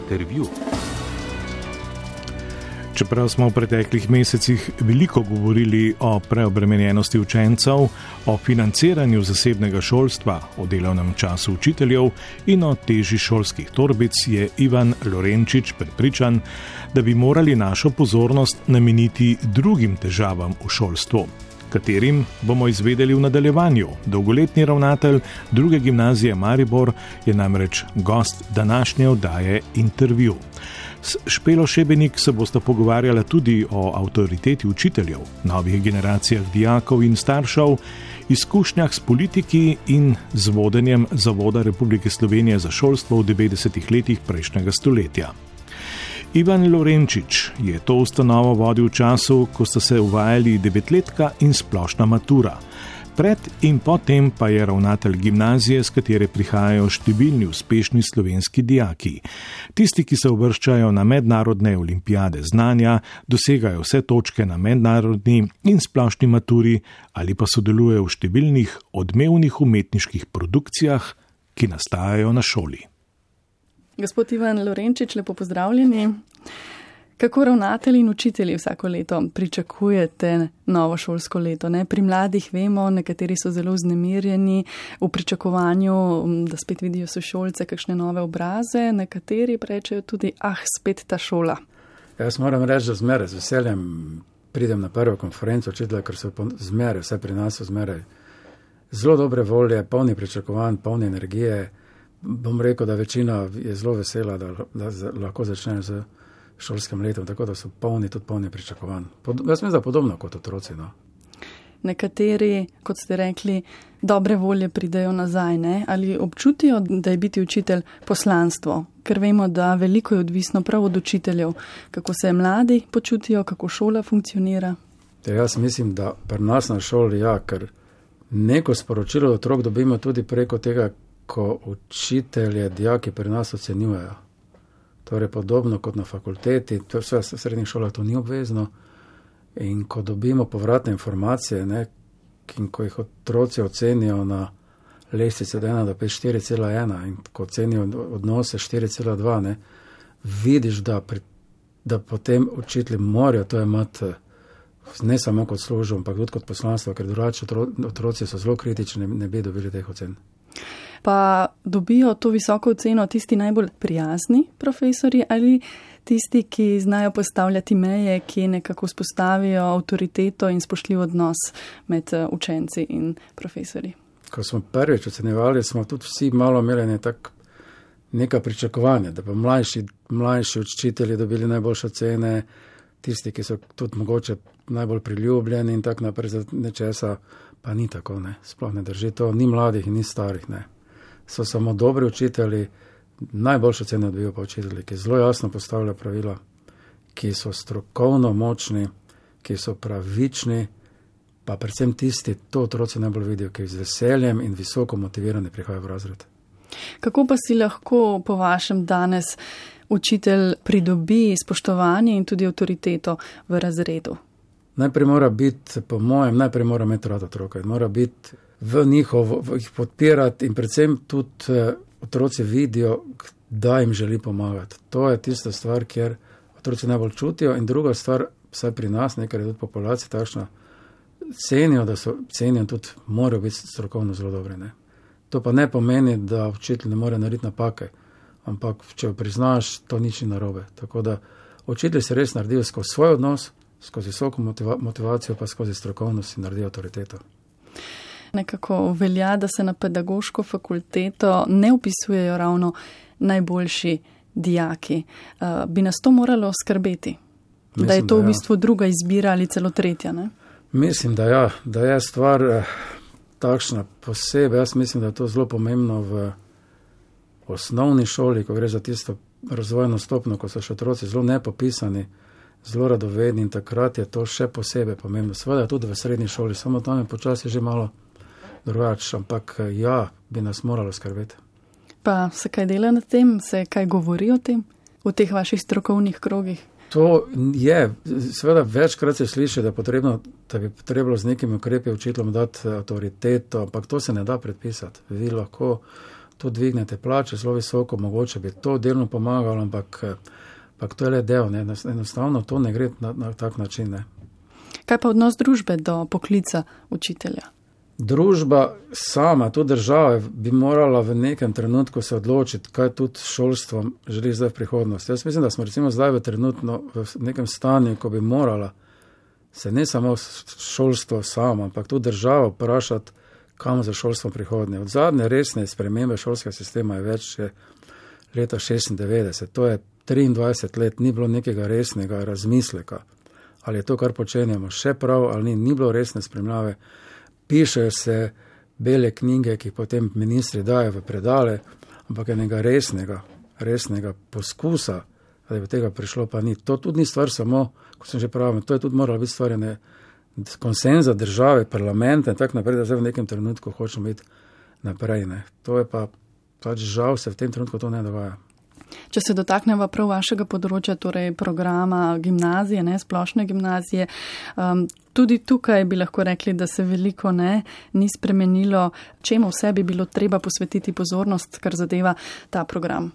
Intervju. Čeprav smo v preteklih mesecih veliko govorili o preobremenjenosti učencev, o financiranju zasebnega šolstva, o delovnem času učiteljev in o teži šolskih torbic, je Ivan Lorenčič prepričan, da bi morali našo pozornost nameniti drugim težavam v šolstvu, katerim bomo izvedeli v nadaljevanju. Dolgoletni ravnatelj druge gimnazije Maribor je namreč gost današnje oddaje Intervju. S Špelo Šebenik se bosta pogovarjala tudi o avtoriteti učiteljev, novih generacijah dijakov in staršev, izkušnjah s politiki in z vodenjem Zavoda Republike Slovenije za šolstvo v 90. letih prejšnjega stoletja. Ivan Lorenčič je to ustanovo vodil v času, ko sta se uvajali devetletka in splošna matura. Pred in potem pa je ravnatelj gimnazije, s katere prihajajo številni uspešni slovenski dijaki. Tisti, ki se uvrščajo na mednarodne olimpijade znanja, dosegajo vse točke na mednarodni in splošni maturi ali pa sodelujejo v številnih odmevnih umetniških produkcijah, ki nastajajo na šoli. Gospod Ivan Lorenčič, lepo pozdravljeni. Kako ravnatelji in učitelji vsako leto pričakujete novo šolsko leto? Pri mladih vemo, nekateri so zelo vznemirjeni v pričakovanju, da spet vidijo sošolce, kakšne nove obraze, nekateri rečejo tudi, spet ta šola. Jaz moram reči, da zmeraj z veseljem pridem na prvo konferenco učitelja, ker so zmeraj, vse pri nas so zmeraj zelo dobre volje, polni pričakovanj, polni energije. Bom rekel, da večina je zelo vesela, da lahko začnejo z šolskim letom, tako da so tudi polni pričakovanj. Jaz mislim, da podobno kot otroci. Nekateri, kot ste rekli, dobre volje pridejo nazaj, ne? Ali občutijo, da je biti učitelj poslanstvo? Ker vemo, da veliko je odvisno prav od učiteljev, kako se mladi počutijo, kako šola funkcionira. Jaz mislim, da pri nas na šoli, ker neko sporočilo otrok dobimo tudi preko tega, ko učitelje, dijaki pri nas ocenjujejo. Torej podobno kot na fakulteti, to v srednjih šolah to ni obvezno. In ko dobimo povratne informacije, in ko jih otroci ocenijo na lestvici od 1 do 5, 4,1 in ko ocenijo odnose 4,2, vidiš, da potem učitelji morajo to imati ne samo kot službo, ampak tudi kot poslanstvo, ker drugače otroci so zelo kritični, ne bi dobili teh ocen. Pa dobijo to visoko oceno tisti najbolj prijazni profesori ali tisti, ki znajo postavljati meje, ki nekako spostavijo avtoriteto in spoštljiv odnos med učenci in profesori? Ko smo prvič ocenjevali, smo tudi vsi malo imeli neka pričakovanja, da pa mlajši učitelji dobili najboljše ocene, tisti, ki so tudi mogoče najbolj priljubljeni in tako naprej, za nečesa pa ni tako, sploh ne drži to, ni mladih in ni starih, So samo dobri učitelji, najboljše ocene dobijo pa učitelji, ki zelo jasno postavljajo pravila, ki so strokovno močni, ki so pravični, pa predvsem tisti, to otroci najbolj vidijo, ki z veseljem in visoko motivirani prihajajo v razred. Kako pa si lahko po vašem danes učitelj pridobi spoštovanje in tudi avtoriteto v razredu? Najprej mora biti, po mojem, mora imeti rad otroka in mora biti v jih podpirati in predvsem tudi otroci vidijo, da jim želi pomagati. To je tista stvar, kjer otroci najbolj čutijo in druga stvar, vsaj pri nas, ker je tudi populacija takšna, cenijo tudi, morajo biti strokovno zelo dobri. To pa ne pomeni, da učitelj ne more narediti napake, ampak če priznaš, to nič ni narobe. Tako da učitelji se res naredijo skozi svoj odnos, skozi visoko motivacijo pa skozi strokovnost in naredijo avtoriteto. Nekako velja, da se na pedagoško fakulteto ne upisujejo ravno najboljši dijaki. Bi nas to moralo skrbeti? Mislim, da je to v bistvu druga izbira ali celo tretja, ne? Mislim, da je stvar takšna posebej. Jaz mislim, da je to zelo pomembno v osnovni šoli, ko gre za tisto razvojno stopnjo, ko so še otroci zelo nepopisani, zelo radovedni in takrat je to še posebej pomembno. Seveda tudi v srednji šoli, samo tam je počasi že malo drugače, ampak bi nas moralo skrbeti. Pa se kaj dela na tem? Se kaj govori o tem v teh vaših strokovnih krogih? To je, seveda večkrat se sliši, da bi potrebno z nekimi ukrepi učiteljem dati avtoriteto, ampak to se ne da predpisati. Vi lahko tu dvignete plače zelo visoko, mogoče bi to delno pomagalo, ampak to je le del, ne? Enostavno to ne gre na tak način. Ne? Kaj pa odnos družbe do poklica učitelja? Družba sama, tudi država bi morala v nekem trenutku se odločiti, kaj tudi šolstvom želi zdaj v prihodnosti. Jaz mislim, da smo recimo zdaj v nekem stanju, ko bi morala se ne samo šolstvo samo, ampak tudi država vprašati, kam za šolstvo prihodnje. Od zadnje resne spremembe šolskega sistema je več leta 96. To je 23 let, ni bilo nekega resnega razmisleka. Ali je to, kar počenjamo, še prav ali ni bilo resne spremljave. Pišejo se bele knjige, ki potem ministri dajo v predale, ampak enega resnega poskusa, da je do tega prišlo, pa ni. To tudi ni stvar samo, kot sem že pravil, to je tudi moralo biti stvar konsenza države, parlamenta in tako naprej, da zdaj v nekem trenutku hočemo biti naprej. Ne. To je pač žal se v tem trenutku to ne dogaja. Če se dotaknemo prav vašega področja, torej programa gimnazije, ne, splošne gimnazije, tudi tukaj bi lahko rekli, da se veliko ni spremenilo. Čemu vse bi bilo treba posvetiti pozornost, kar zadeva ta program?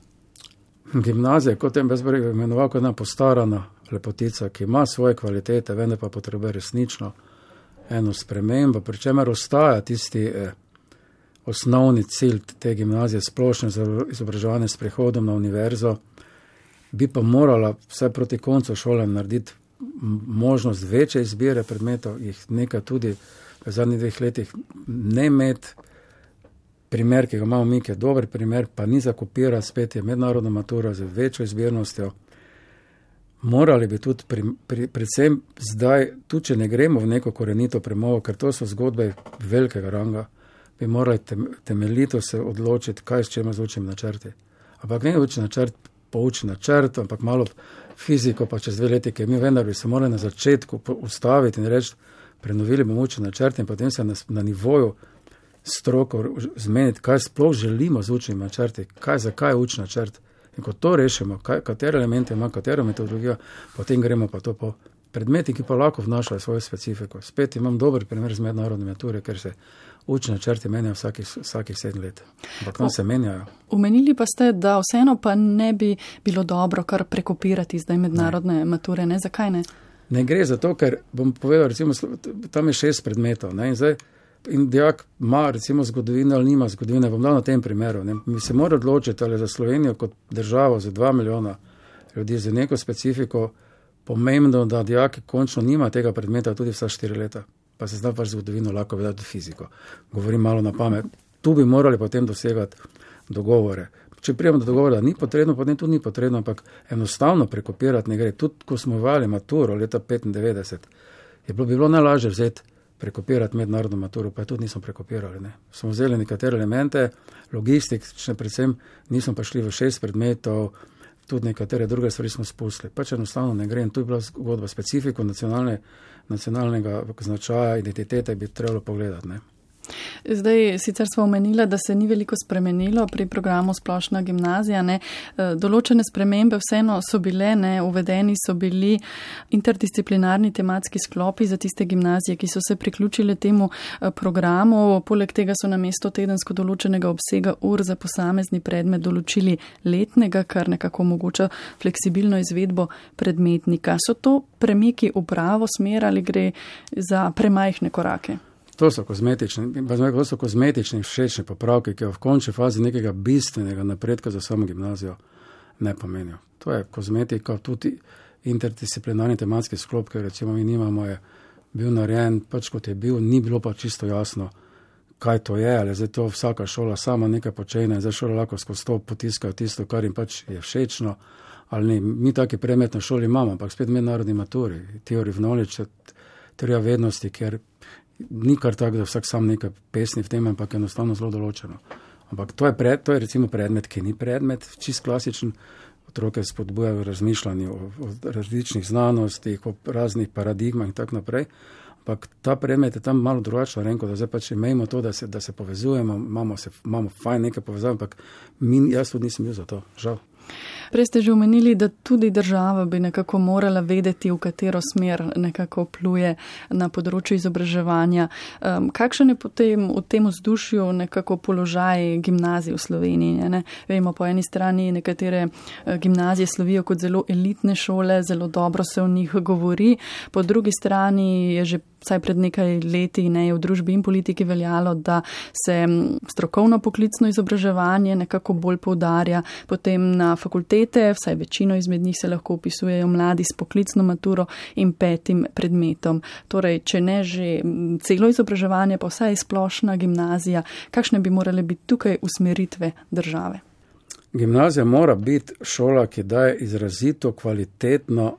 Gimnazija, kot tem bezbrega imenoval, kot ena postarana lepotica, ki ima svoje kvalitete, vendar pa potrebuje resnično eno spremembo, pri čemer ostaja tisti osnovni cilj te gimnazije, splošno izobraževanje s prehodom na univerzo, bi pa morala vsaj proti koncu šole narediti možnost večje izbire predmetov, jih nekaj tudi v zadnjih 2 letih ne imeti. Primer, ki ga imamo mi, ki je dober primer, pa ni za kopirati, spet je mednarodna matura z večjo izbirnostjo. Morali bi tudi, predvsem zdaj, tudi če ne gremo v neko korenito premovo, ker to so zgodbe velikega ranga, bi morali temeljito se odločiti, kaj s čema z učnim načrti. Ampak ne učni načrt, poučni načrt, ampak malo fiziko, pa čez 2 leti, ki mi vendar bi se morali na začetku ustaviti in reči, prenovili bomo učni načrt in potem se na nivoju stroko zmeniti, kaj sploh želimo z učnim načrti, zakaj je učni načrt. In ko to rešimo, katere elemente ima, katero metodologijo, potem gremo pa to po predmeti, ki pa lahko vnašajo svojo specifiko. Spet imam dober primer z mednarodne mature, ker se učni načrti menjajo vsakih 7 let. Ampak se menjajo. Omenili pa ste, da vseeno pa ne bi bilo dobro kar prekopirati zdaj mednarodne mature, ne? Zakaj ne? Ne gre za to, ker bom povedal, recimo, tam je 6 predmetov, ne? In dijak ima recimo zgodovino ali nima zgodovine, bom dal na tem primeru. Ne? Mi se mora odločiti, ali za Slovenijo kot državo za 2 milijona ljudi za neko specifiko pomembno, da dijaki končno nima tega predmeta tudi vsa 4 leta. Pa se zna pač zgodovino lahko vedeti fiziko. Govorim malo na pamet. Tu bi morali potem dosegati dogovore. Če prijemo do dogovora, da ni potrebno, potem tudi ni potrebno, ampak enostavno prekopirati ne gre. Tudi ko smo uvali maturo leta 95, bi bilo najlažje vzeti prekopirati mednarodno maturo, pa tudi nismo prekopirali. Ne. Smo vzeli nekatere elemente, logistične predvsem, nismo pa šli v 6 predmetov, tudi nekatere druge stvari smo spustili. Pač enostavno ne gre in tu je bila zgodba specifiko nacionalnega značaja, identitete bi trebalo pogledati. Ne. Zdaj, sicer smo omenila, da se ni veliko spremenilo pri programu Splošna gimnazija. Ne. Določene spremembe vseeno so bile, uvedeni so bili interdisciplinarni tematski sklopi za tiste gimnazije, ki so se priključile temu programu. Poleg tega so na mesto tedensko določenega obsega ur za posamezni predmet določili letnega, kar nekako omogoča fleksibilno izvedbo predmetnika. So to premiki v pravo smer ali gre za premajhne korake? To so kozmetični všečni popravki, ki v končni fazi nekega bistvenega napredka za samo gimnazijo ne pomenijo. To je kozmetika, tudi interdisciplinarni tematski sklop, ki recimo mi nimamo, je bil narejen, pač kot je bil, ni bilo pa čisto jasno, kaj to je, ali zdaj to vsaka šola sama nekaj počene, zdaj šola lahko skozi to potiskajo tisto, kar jim pač je všečno, ali ne. Mi taki predmet na šoli imamo, ampak spet mednarodni maturi, theory of knowledge, teorija vednosti, ker ni kar tako, da vsak sam nekaj pesni v tem, ampak enostavno zelo določeno. Ampak to je recimo predmet, ki ni predmet, čist klasičen, otroke spodbujajo razmišljanje o različnih znanostih, o raznih paradigmah in tako naprej. Ampak ta predmet je tam malo drugačno renko, da zdaj pač imejmo to, da se povezujemo, imamo fajn nekaj povezav, ampak jaz tudi nisem bil za to, žal. Prej ste že omenili, da tudi država bi nekako morala vedeti, v katero smer nekako pluje na področju izobraževanja. Kakšen je potem v tem vzdušju nekako položaj gimnazij v Sloveniji? Ne? Vemo, po eni strani nekatere gimnazije slovijo kot zelo elitne šole, zelo dobro se o njih govori, po drugi strani je že vsaj pred nekaj leti v družbi in politiki veljalo, da se strokovno poklicno izobraževanje nekako bolj poudarja, potem na fakultete, vsaj večino izmed njih se lahko upisujejo mladi s poklicno maturo in 5. predmetom. Torej, če ne že celo izobraževanje, pa vsaj splošna gimnazija, kakšne bi morale biti tukaj usmeritve države? Gimnazija mora biti šola, ki daje izrazito kvalitetno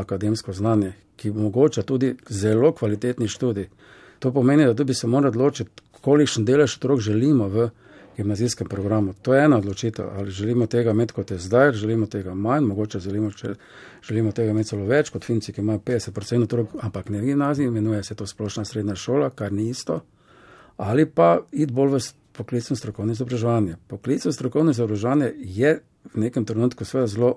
akademsko znanje, ki omogoča tudi zelo kvalitetni študij. To pomeni, da tudi se mora odločiti, kolikšen delež otrok želimo v gimnazijskem programu. To je ena odločitev, ali želimo tega imeti kot je zdaj, želimo tega manj, mogoče želimo tega imeti celo več, kot Finci, ki imajo 50% otrok, ampak ne v gimnaziji, imenuje se to splošna srednja šola, kar ni isto, ali pa iti bolj v poklicno strokovno izobraževanje. Poklicno strokovno izobraževanje je v nekem trenutku seveda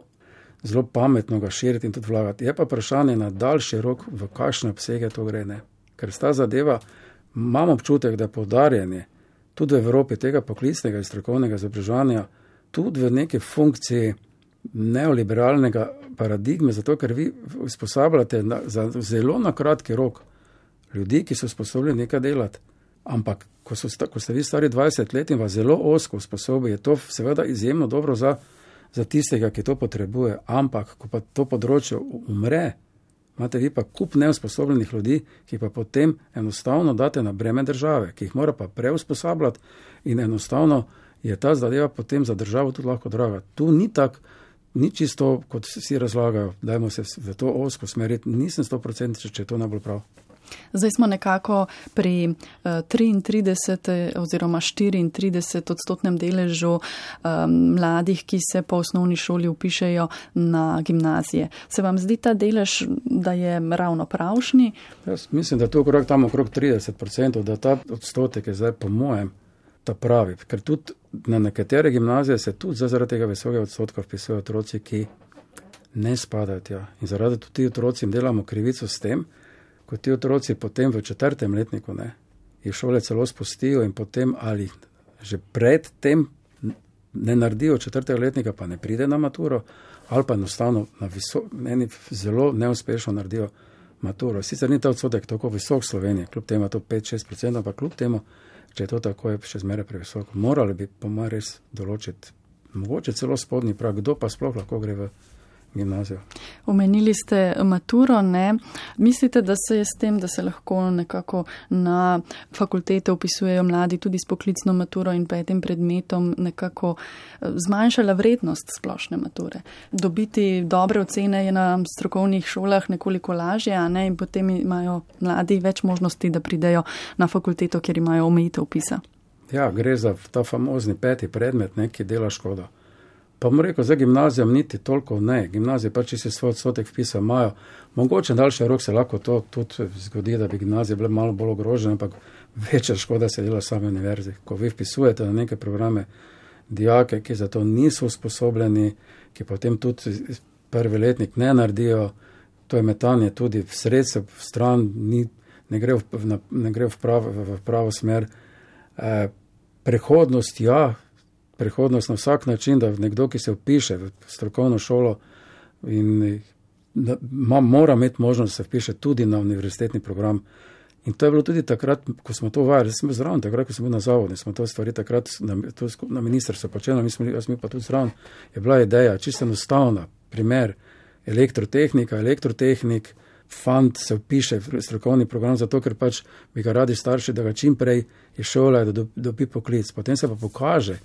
zelo pametno ga širiti in tudi vlagati. Je pa vprašanje na daljši rok, v kakšne obsege to gre, ne. Ker sta zadeva, imam občutek, da je poudarjanje tudi v Evropi tega poklicnega in strokovnega izobraževanja tudi v neki funkciji neoliberalnega paradigme, zato ker vi usposabljate za zelo na kratki rok ljudi, ki so sposobni nekaj delati. Ampak, ko ste vi stari 20 let in vas zelo ozko usposobi, je to seveda izjemno dobro za tistega, ki to potrebuje. Ampak, ko pa to področje umre, imate vi pa kup neusposobljenih ljudi, ki pa potem enostavno date na breme države, ki jih mora pa preusposabljati in enostavno je ta zadeva potem za državo tudi lahko draga. Tu ni tak, ni čisto, kot vsi razlagajo, dajmo se v to ozko smeriti. Nisem 100%, če je to najbolj prav. Zdaj smo nekako pri 33 oziroma 34% deležu mladih, ki se po osnovni šoli upišejo na gimnazije. Se vam zdi ta delež, da je ravno pravšnji? Jaz mislim, da je to okrog 30%, da ta odstotek je zdaj po mojem ta pravi. Ker tudi na nekatere gimnazije se tudi zaradi tega visokega odstotka vpisujejo otroci, ki ne spadajo tja. In zaradi tudi ti otroci delamo krivico s tem, ko ti otroci potem v 4. letniku jih šole celo spustijo in potem ali že pred tem ne naredijo 4. letnika, pa ne pride na maturo, ali pa enostavno meni zelo neuspešno naredijo maturo. Sicer ni ta odstotek tako visok v Sloveniji, kljub temu to 5-6%, ampak kljub temu, če je to tako, je še zmeraj previsoko. Morali bi po mojem res določiti, mogoče celo spodnji prag, kdo pa sploh lahko gre v gimnazijo. Omenili ste maturo, ne? Mislite, da se je s tem, da se lahko nekako na fakultete upisujejo mladi tudi s poklicno maturo in 5. predmetom nekako zmanjšala vrednost splošne mature? Dobiti dobre ocene je na strokovnih šolah nekoliko lažje, a ne? In potem imajo mladi več možnosti, da pridejo na fakulteto, kjer imajo omejitev vpisa. Ja, gre za ta famozni 5. predmet, ki dela škodo. Pa bom rekel, za gimnazijam niti toliko ne. Gimnazije pa, če se svoj odstotek vpisa imajo, mogoče daljši rok se lahko to tudi zgodi, da bi gimnazije bile malo bolj ogrožene, ampak večja škoda se dela same univerzi. Ko vi vpisujete na neke programe dijake, ki za to niso usposobljeni, ki potem tudi 1. letnik ne naredijo, to je metanje tudi v sredstev, v stran, ne gre v pravo smer. Prehodnost na vsak način, da nekdo, ki se vpiše v strokovno šolo in mora imeti možnost, da se vpiše tudi na univerzitetni program. In to je bilo tudi takrat, ko smo to uvajali, jaz sem bil zraven, takrat, ko sem bil na zavodu, smo to stvari takrat na ministrstvu počeli, jaz mi pa tudi zraven, je bila ideja, čisto enostavna, primer, elektrotehnik, fant se vpiše v strokovni program, zato ker pač bi ga radi starši, da ga čim prej je šola, da dobi poklic. Potem se pa pokaže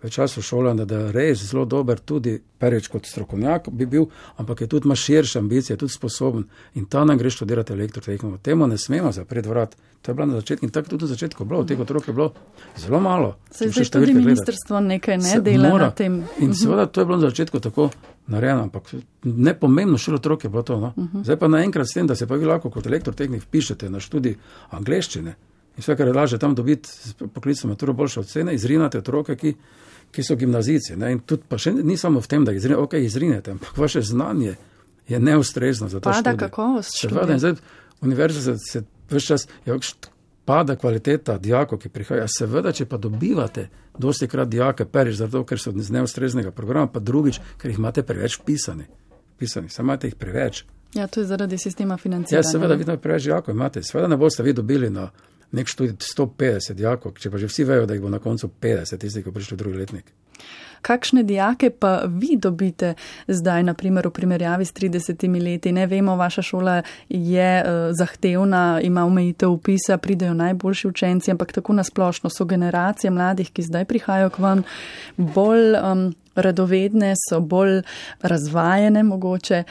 v času šolanja, da je res zelo dober tudi prvič kot strokovnjak bi bil, ampak je tudi ima širše ambicije, je tudi sposoben in ta nam gre študirati elektrotehniko. Temu ne smemo zapreti vrat. To je bilo na začetku in tako tudi na začetku bilo. Teh otrok je bilo zelo malo. Se zdaj tudi ministrstvo nekaj ne dela na tem. In seveda to je bilo na začetku tako narejeno, ampak nepomembno šele otrok je bilo to. No? Zdaj pa naenkrat s tem, da se pa vi lahko kot elektrotehnik vpišete na študij angleščine in vse, kar je lažje tam dobiti poklicno maturo boljše ocene, izrinate otroke, ki so gimnazijci. Ne? In tudi pa še ni samo v tem, da izrinete, ampak vaše znanje je neustrezno za ta študij. Pada kakovost študija. In zdaj univerza se ves čas, pada kvaliteta dijakov, ki prihaja. Seveda, če pa dobivate dosti krat dijake, prvič zato, ker so z neustreznega programa, pa drugič, ker jih imate preveč pisani. Samo imate jih preveč. Ja, to je zaradi sistema financiranja. Ja, seveda, vidno preveč dijakov imate. Seveda ne boste vi dobili na nek študij 150 dijakov, če pa že vsi vejo, da jih bo na koncu 50, tisti, ki prišli v drugi letnik. Kakšne dijake pa vi dobite zdaj, na primer, v primerjavi s 30 leti? Ne vemo, vaša šola je zahtevna, ima omejitev vpisa, pridejo najboljši učenci, ampak tako nasplošno so generacije mladih, ki zdaj prihajajo k vam, bolj radovedne, so bolj razvajene mogoče.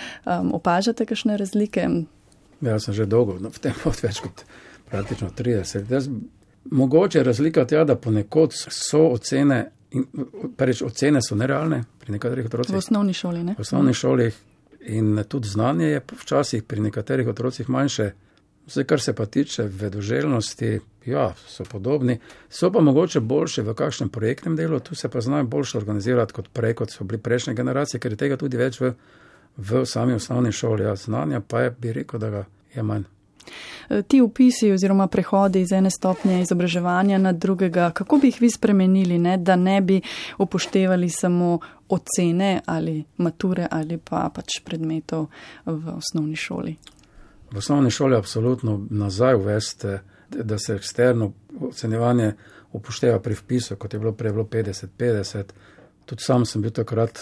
Opažate kakšne razlike? Ja, sem že dolgo v tem več kot praktično 30. Mogoče razlika tja, da ponekod so ocene, ocene so nerealne pri nekaterih otrocih. V osnovni šoli, ne? V osnovni šoli in tudi znanje je včasih pri nekaterih otrocih manjše. Vse, kar se pa tiče vedoželjnosti, ja, so podobni. So pa mogoče boljše v kakšnem projektnem delu, tu se pa znajo boljše organizirati kot prej, kot so bili prejšnje generacije, ker je tega tudi več v sami osnovni šoli. Ja, znanja pa je, bi rekel, da ga je manj. Ti vpisi oziroma prehodi iz ene stopnje izobraževanja na drugega, kako bi jih vi spremenili, ne? Da ne bi upoštevali samo ocene ali mature ali pa pač predmetov v osnovni šoli? V osnovni šoli absolutno nazaj uveste, da se eksterno ocenjevanje upošteva pri vpisu, kot je bilo prej 50-50. Tudi sam sem bil takrat,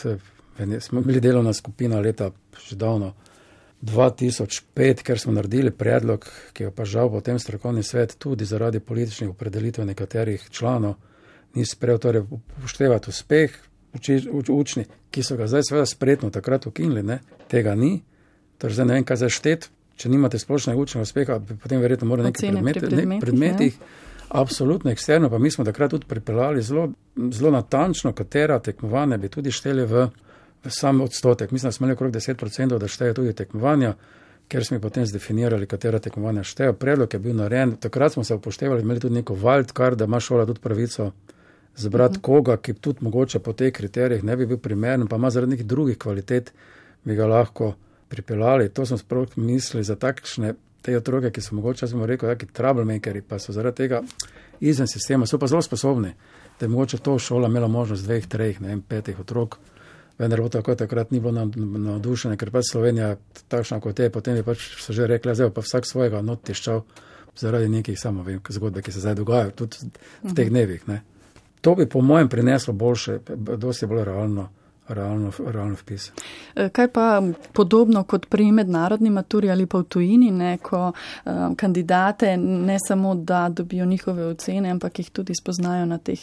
smo bili delovna skupina leta že davno 2005, ker smo naredili predlog, ki je pa žal potem strokovni svet tudi zaradi političnih opredelitev nekaterih članov ni sprejel, torej upoštevati uspeh učni, ki so ga zdaj seveda spretno takrat ukinili, ne, tega ni. Torej zdaj ne vem, kaj zdaj štet, če nimate splošnega učnega uspeha, potem verjetno mora nekaj predmetih. Absolutno eksterno, pa mi smo takrat tudi pripeljali zelo natančno, katera tekmovanja bi tudi šteli v sam odstotek. Mislim, da smo imeli okrog 10%, da šteje tudi tekmovanja, ker smo potem zdefinirali, katera tekmovanja šteje. Predlog je bil narejen, takrat smo se upoštevali, imeli tudi neko wildcard, da ima šola tudi pravico zbrati koga, ki tudi mogoče po teh kriterijih ne bi bil primeren, pa ima zaradi nekih drugih kvalitet, bi ga lahko pripeljali. To smo sploh mislili za takšne te otroke, ki so mogoče, smo rekel, taki troublemakeri, pa so zaradi tega izven sistema, so pa zelo sposobni, da je mogoče to šola imela možnost 2, 3, 5 otrok. Vendar bo tako takrat ni bilo navdušene, ker pač Slovenija takšna kot je, potem je pač so že rekli, zdaj pa vsak svojega not tiščal zaradi nekih zgodbe, ki se zdaj dogajajo tudi v teh dnevih. Ne. To bi po mojem prineslo boljše, dosti bolj realno vpis. Kaj pa podobno kot pri mednarodni maturi ali pa v tujini, ne, ko kandidate ne samo, da dobijo njihove ocene, ampak jih tudi spoznajo na teh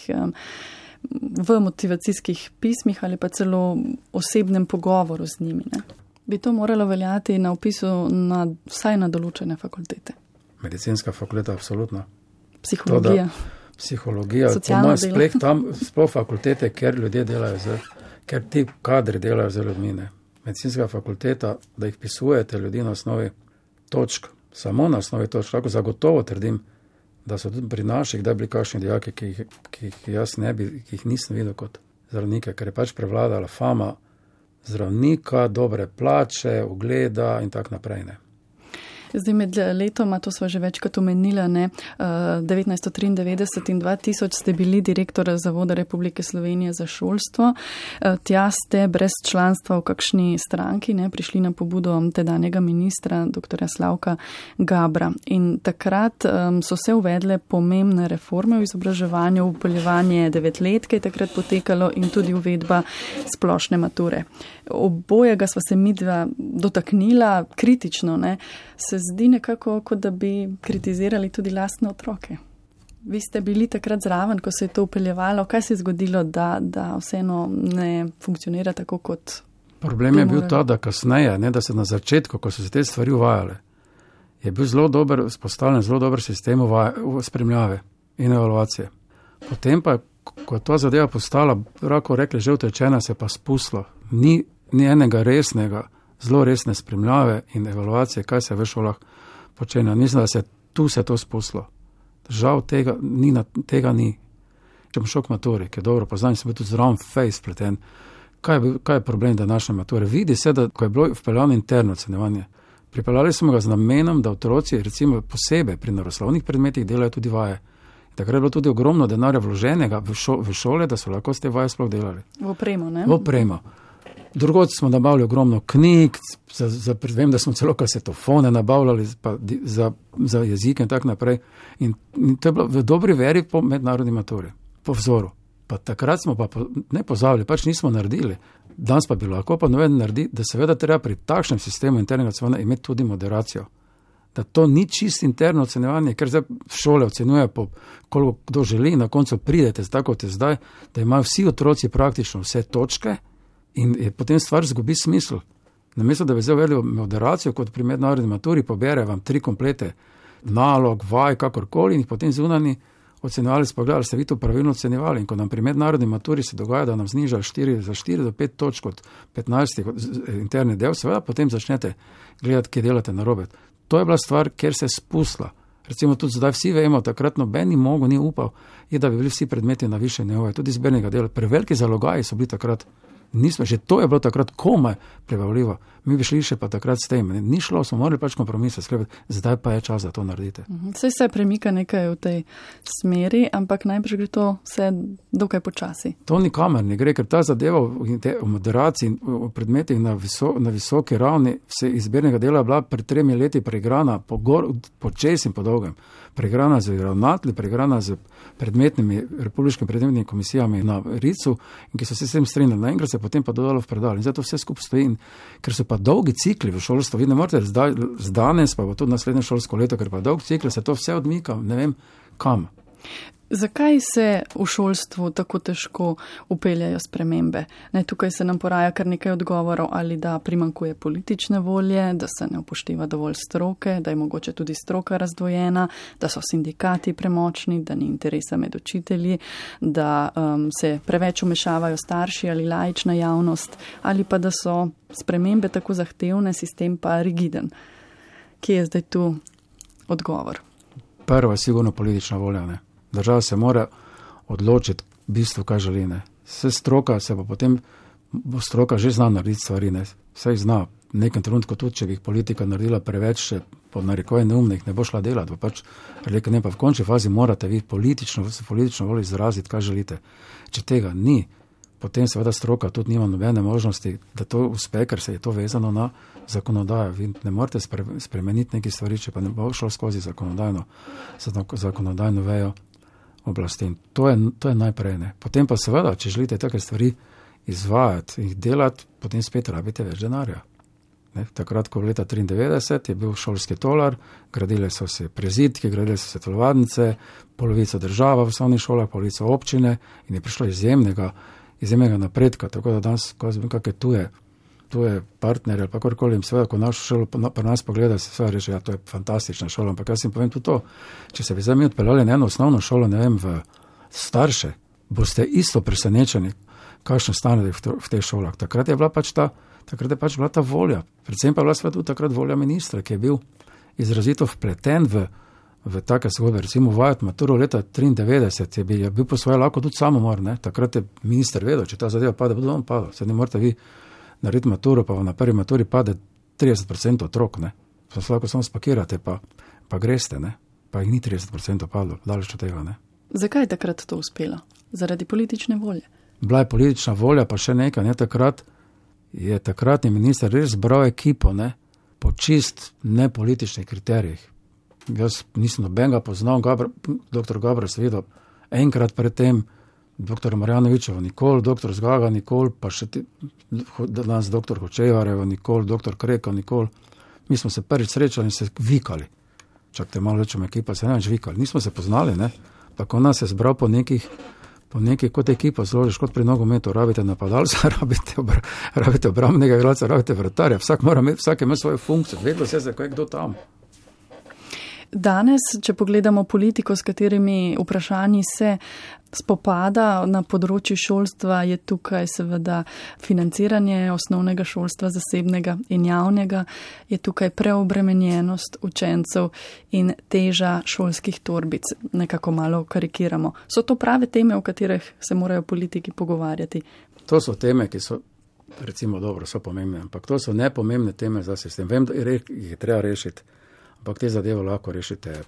v motivacijskih pismih ali pa celo osebnem pogovoru z njimi. Ne? Bi to moralo veljati na vpisu vsaj na določene fakultete? Medicinska fakulteta, absolutno. Psihologija. Psihologija, socialno delo. Tam sploh fakultete, ker ljudje delajo, ker ti kadri delajo z ljudmi. Ne? Medicinska fakulteta, da jih pisujete ljudi na osnovi točk, samo na osnovi točk, tako zagotovo trdim, da so tudi pri naših, da bi bili kakšni dijaki, ki jih jaz ne bi, ki jih nisem videl kot zdravnike, ker je pač prevladala fama zdravnika, dobre plače, ugleda in tak naprej. Ne. Zdaj med letoma, to sva že večkrat omenila, 1993 in 2000 ste bili direktor Zavoda Republike Slovenije za šolstvo. Tja ste brez članstva v kakšni stranki prišli na pobudo tedanjega ministra, dr. Slavka Gabra. In takrat so se uvedle pomembne reforme v izobraževanju, upeljevanje 9-letke je takrat potekalo in tudi uvedba splošne mature. Obojega sva se midva dotaknila kritično, se zdi nekako, kot da bi kritizirali tudi lastne otroke. Vi ste bili takrat zraven, ko se je to upeljevalo. Kaj se je zgodilo, da vseeno ne funkcionira tako kot... Problem je bil ta, da kasneje, da se na začetku, ko so se te stvari uvajale, je bil vzpostavljen zelo dober sistem spremljave in evaluacije. Potem pa, ko je ta zadeva postala, lahko rekli, že utečena, se pa spustilo. Ni enega resnega, zelo resne spremljave in evaluacije, kaj se v šolah počenja. Mislim, da se tu to spustilo. Žal tega ni. Če bom šel k maturi, ki je dobro poznan, sem bil tudi zraven face pleten. Kaj je problem današnje mature? Vidi se, da ko je bilo vpeljano interno ocenjevanje, pripeljali smo ga z namenom, da otroci recimo posebej pri naravoslovnih predmetih delajo tudi vaje. Takrat je bilo tudi ogromno denarja vloženega v šole, da so lahko s te vaje sploh delali. V opremo, ne? V opremo. Drugod smo nabavili ogromno knjig, vem, da smo celo kasetofone nabavljali za jezike in tako naprej. In to je bilo v dobri veri po mednarodni maturi, po vzoru. Pa takrat smo pa ne pozabili, pač nismo naredili. Danes pa bi lahko pa noveden naredi, da seveda treba pri takšnem sistemu internega ocenjevanja imeti tudi moderacijo. Da to ni čist interno ocenjevanje, ker zdaj šole ocenjuje po koliko kdo želi in na koncu pridete tako kot je zdaj, da imajo vsi otroci praktično vse točke in je potem stvar zgubi smisel. Namesto da bi zdaj uvedli moderacijo, kot pri mednarodni maturi, pobere vam 3 komplete nalog, vaj, kakorkoli in jih potem zunani ocenjevali, spogledali, ste vi to pravilno ocenjevali. In ko nam pri mednarodni maturi se dogaja, da nam znižajo za 4 do 5 točk od 15 interni del, seveda potem začnete gledati, kje delate narobe. To je bila stvar, kjer se je spustila. Recimo tudi zdaj vsi vemo, takrat noben ni upal, da bi bili vsi predmeti na višjem nivoju, tudi zbirnega dela. Preveliki zalogaji so bili takrat. Že to je bilo takrat komaj prebavljivo. Mi bi šli še pa takrat s tem. Ni šlo, smo morali pač kompromise sklepati. Zdaj pa je čas, da to naredite. Vse se premika nekaj v tej smeri, ampak najbrž gre to vse dokaj počasi. To nikamer ne gre, ker ta zadeva v moderaciji in v predmetih na visoki ravni se izbirnega dela bila pred 3 leti preigrana po čez in po dolgem. Preigrana z ravnatelji, preigrana z predmetnimi republiškimi predmetnimi komisijami na RIC-u, in ki so se s tem strinjali. Naenkrat se potem pa dodalo v predal. In zato vse skupaj stoji. Ker so pa dolgi cikli v šolstvu, vi ne morete z danes, pa bo tudi naslednje šolsko leto, ker pa dolg cikl, se to vse odmika, ne vem kam. Zakaj se v šolstvu tako težko upeljajo spremembe? Tukaj se nam poraja kar nekaj odgovorov, ali da primanjkuje politične volje, da se ne upošteva dovolj stroke, da je mogoče tudi stroka razdvojena, da so sindikati premočni, da ni interesa med učitelji, da se preveč vmešavajo starši ali laična javnost, ali pa da so spremembe tako zahtevne, sistem pa rigiden. Kje je zdaj tu odgovor? Prva je sigurno politična volja, ne? Država se mora odločiti v bistvu, kaj želi. Vse stroka se pa potem, bo stroka že zna narediti stvari. Vse jih zna. V nekem trenutku tudi, če bi jih politika naredila preveč, še po narekovaj neumnih, ne bo šla delati. Pač, ne, pa v končni fazi morate vi politično voljo izraziti, kaj želite. Če tega ni, potem seveda stroka tudi nima nobene možnosti, da to uspe, ker se je to vezano na zakonodajo. Vi ne morete spremeniti nekaj stvari, če pa ne bo šlo skozi zakonodajno vejo oblasti. To je najprej. Ne. Potem pa seveda, če želite take stvari izvajati in jih delati, potem spet rabite več denarja. Takrat, ko leta 1993 je bil šolski tolar, gradile so se prezidke, gradile so se telovadnice, polovico država v osnovnih šolah, polovico občine in je prišlo izjemnega napredka. Tako da danes, ko jaz vem, kakšne tuje partnerje ali pa kakorkoli, in seveda, ko našo šolo pri nas pogleda, se seveda reče, ja, to je fantastična šola, ampak jaz jim povem tudi to, če se bi zdaj mi odpeljali na eno osnovno šolo, ne vem, v starše, boste isto presenečeni, kakšno stane v teh šolah. Takrat je pač bila ta volja, predvsem pa je bila seveda tudi takrat volja ministra, ki je bil izrazito vpleten v take zgodbe, recimo vajati maturo leta 1993, je bil po svoje lahko tudi samomor, ne? Takrat je minister vedel, če ta zadeva pade, bodo on padal, se ne morate vi narediti maturo, pa na prvi maturi pade 30% otrok, ne. Lahko samo spakirate, pa greste, ne. Pa jih ni 30% padlo, daleč od tega, ne. Zakaj je takrat to uspelo? Zaradi politične volje? Bila je politična volja, pa še nekaj, ne. Takratni minister res zbral ekipo, ne, po čist nepolitičnih kriterijih. Jaz nisem nobenega poznal, dr. Gabriel se videl enkrat pred tem, dr. Marjanovičevo nikoli, dr. Zgaga nikoli, pa še danes dr. Hočevarjevo nikoli, dr. Kreka nikoli. Mi smo se prvič srečali in se vikali. Čakajte, malo rečem, ekipa se ne več vikali. Nismo se poznali, ne. Tako nas je zbral po nekih, kot ekipa zložiš, kot pri nogometu, rabite napadalca, rabite obrambnega igralca, rabite vratarja. Vsak ima svojo funkcijo, vedno se je kdo tam. Danes, če pogledamo politiko, s katerimi vprašanji se spopada na področju šolstva, je tukaj seveda financiranje osnovnega šolstva, zasebnega in javnega, je tukaj preobremenjenost učencev in teža šolskih torbic. Nekako malo karikiramo. So to prave teme, o katerih se morajo politiki pogovarjati? To so teme, ki so, recimo dobro, so pomembne, ampak to so nepomembne teme za sistem. Vem, da jih je treba rešiti, ampak te zadeve lahko rešite,